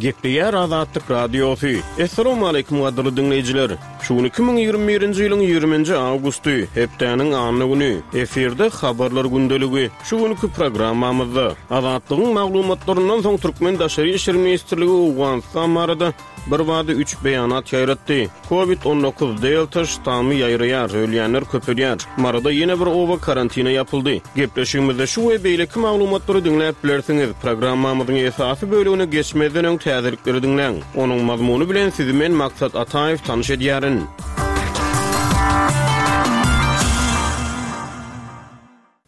Gepleýär Azatlyk Radiosy. Assalamualaikum gadyrly diňleýjiler. Şu gün 2021-nji ýylyň 20-nji awgusty, hepdäniň anna güni. Efirde habarlar gündeligi. Şu günki programmamyzda Azatlygyň maglumatlaryndan soň Türkmen Daşary işler ministrligi Owganystan barada Birbada üç beýanat ýaýratdy. Covid 19 Delta ştammy ýaýraýar, ölýänler köpelýär. Maryda ýene bir oba karantina ýapyldy. Gepleşigimizde şu we beýleki maglumatlary diňläp bilersiňiz. Programmamyzyň esasy bölegine geçmezden öň täzelikleri diňläň. Onuň mazmuny bilen sizi men Maksat Ataýew tanyş edýärin.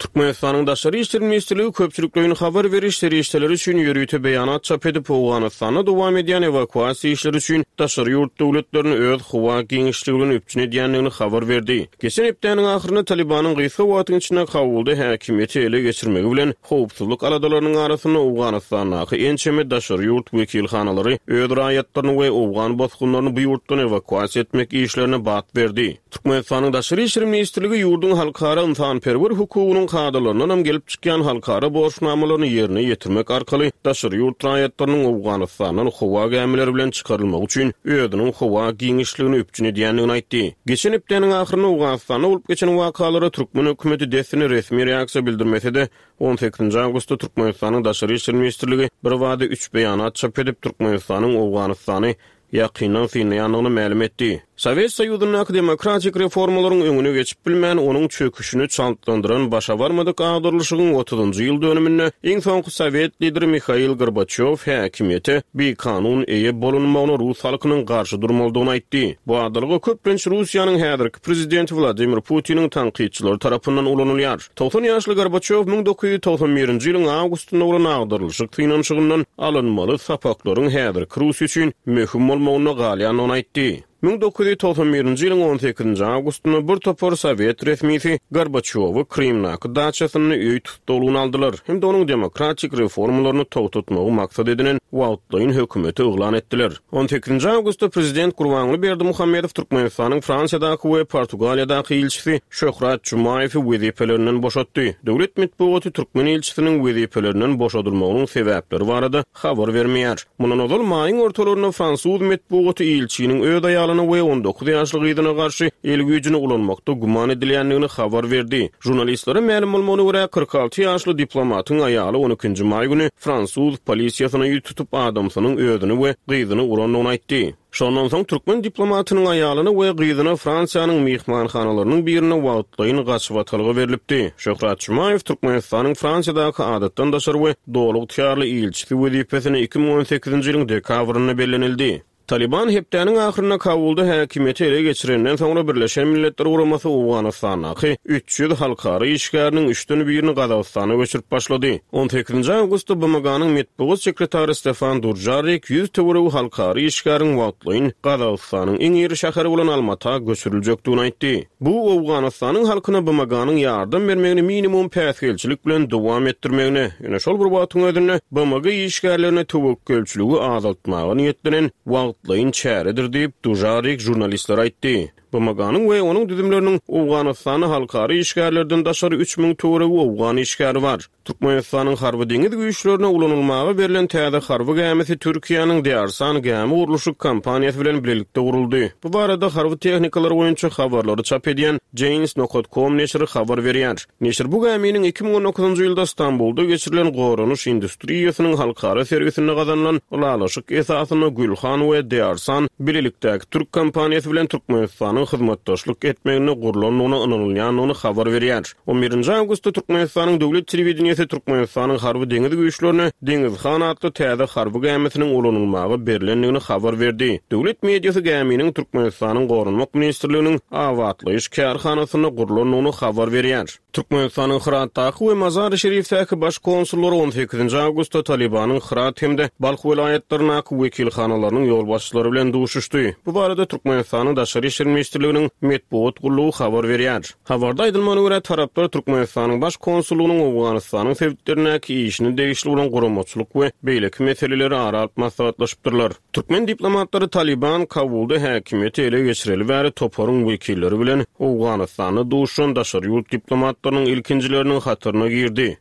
Türkmenistanyň Daşary işler ministrligi köpçülikleýin habar beriş serişdeleri üçin ýörite beýanat çap edip, Owganystanda dowam edýän ewakuasiýa işleri üçin daşary ýurt döwletlerini öz howa giňişligi bilen üpjün edýändigini habar berdi. Geçen hepdäniň ahyrynda Talybanyň gysga wagtyň içinde Kabulda häkimiýeti ele geçirmegi bilen, howpsuzlyk aladalarynyň arasynda Owganystandaky ençeme daşary ýurt wekilhanalary öz raýatlaryny we owgan bosgunlaryny bu ýurtdan ewakuasiýa etmek işlerine bat berdi. Türkmenistanyň Daşary işler ministrligi ýurduň halkara ynsanperwer hukugynyň kadalaryndanam gelip çykýan halkara borçnamalaryny ýerine ýetirmek arkaly daşary ýurt raýatlarynyň Owganystandan howa gämileri bilen çykarylmagy üçin özüniň howa giňişligini üpjün edýändigini aýtdy. Geçen hepdäniň ahyrynda Owganystanda bolup geçen wakalara türkmen hökümeti dessine resmi reaksiýa bildirmese-de, on sekizinji awgustda Türkmenistanyň Daşary işler ministrligi birbada üç beýanat çap edip, Türkmenistanyň Owganystany ýakyndan synlaýandygyny mälim etdi. Sowet Soýuzyndaky demokratik reformalaryň öňüne geçip bilmän, onuň çöküşini çaltlandyran başa barmadyk agdarylyşygyň otuzynjy ýyl dönüminde iň soňky sowet lideri Mihail Gorbaçýow häkimiýete bikanun eýe bolunmagyna rus halkynyň garşy durmalydygyny aýtdy. Bu adalga köplenç Russiýanyň häzirki prezidenti Wladimir Putiniň tankytçylary tarapyndan ulanylýar. 90 ýaşly Gorbaçýow 1991-nji ýylyň awgustynda bolan agdarylyşyk synanyşygyndan alynmaly sapaklaryň häzirki Russiýa üçin möhüm bolmagynda galýandygyny aýtdy. 1991-nji ýylyň on sekizinji awgustynda bir topar sowet resmisi Gorbaçýowy Krymdaky daçasynda öý tussaglygyna aldylar hem-de onuň demokratik reformalaryny togtatmagy maksat edinen wagtlaýyn hökümeti yglan etdiler. On sekizinji awgustda prezident Gurbanguly Berdimuhamedow Türkmenistanyň Fransiýadaky we Portugaliýadaky ilçisi Şöhrat Jumaýewi wezipelerinden boşatdy. Döwlet metbugaty türkmen ilçisiniň wezipelerinden boşadylmagynyň sebäpleri barada habar bermeýär. Mundan ozal, maýyň ortalarynda fransuz metbugaty ilçiniň öz aýalyna we 19 ýaşly gyzyna garşy el güýjüni ulanmakda güman edilýändigini habar berdi. Žurnalistlere mälim bolmagyna görä, 46 ýaşly diplomatyň aýaly on ikinji maý güni fransuz polisiýasyna ýüz tutup, adamsynyň özüni we gyzyny urandygyny aýtdy. Şondan soň türkmen diplomatynyň aýalyna we gyzyna Fransiýanyň myhmanhanalarynyň birinde wagtlaýyn gaçybatalga berlipdi. Şöhrat Jumaýew Türkmenistanyň Fransiýadaky adatdan daşary we doly ygtyýarly ilçisi wezipesine 2018-nji ýylyň dekabrynda bellenildi. Talyban hepdäniň ahyrynda Kabulda häkimiýeti ele geçirenden soňra Birleşen Milletler Guramasy Owganystandaky 300 halkara işgäriniň üçden birini Gazagystana göçürip başlady. On sekizinji awgustda BMG-niň metbugat sekretary Stefan Dužarrik 100 töweregi halkara işgäriň wagtlaýyn Gazagystanyň iň iri şäheri bolan Almata göçüriljekdigini aýtdy. Bu Owganystanyň halkyna BMG-niň ýardam bermegini minimum päsgelçilik bilen dowam etdirmegine, ýöne şol bir wagtyň özünde BMG işgärlerine töwekgelçiligi azaltmaga niýetlenen wagtlaýyn çäredir diýip, Dužarrik žurnalistlere aýtdy. BMG-niň we onuň düzümleriniň Owganystanda halkara işgärlerden daşary 3000 töweregi owgan işgäri bar. Türkmenistanyň Harby-deňiz güýçlerine ulanylmaga berlen täze harby gämisi Türkiýäniň Dearsan gämi gurluşyk kompaniýasy bilen bilelikde guruldy. Bu barada harby tehnikalar boýunça habarlary çap edýän Janes nokat com neşiri habar berýär. Neşir bu gäminiň 2019-njy ýylda Stambulda geçirilen goranyş industriýasynyň halkara sergisinde gazanylan ylalaşyk esasynda Gülhan we Dearsan bilelikdäki türk kompaniýasy bilen Türkmenistanyň hyzmatdaşlyk etmeginde gurlandygyna ynanylýandygyny habar berýär. On birinji awgustda Türkmenistanyň döwlet telewideniýesi Türkmenistanyň Harby-deňiz güýçlerine Deňiz han atly täze harby gämisiniň ulanylmaga berlendigini habar berdi. Döwlet mediasy gäminiň Türkmenistanyň Goranmak ministrliginiň abatlaýyş kärhanasynda gurlandygyny habar berýär. Türkmenistanyň Hyratdaky we Mazary-Şerifdäki baş konsullary on sekizinji awgustda Talybanyň Hyrat hem-de Balh welaýatlaryndaky wekilhanalarynyň ýolbaşçylary bilen duşuşdy. Bu barada Türkmenistanyň Daşary işler ministrliginiň metbugat gullugy habar berýär. Habarda aýdylmagyna görä, taraplar Türkmenistanyň Baş konsullygynyň Owganystanyň sebitlerindäki işine degişli bolan guramaçylyk we beýleki meseleleri ara alyp maslahatlaşypdyrlar. Türkmen diplomatlary Talyban Kabulda häkimiýeti ele geçireli bäri toparyň wekilleri bilen Owganystanda duşan daşary ýurt diplomatlarynyň ilkinjileriniň hataryna girdi.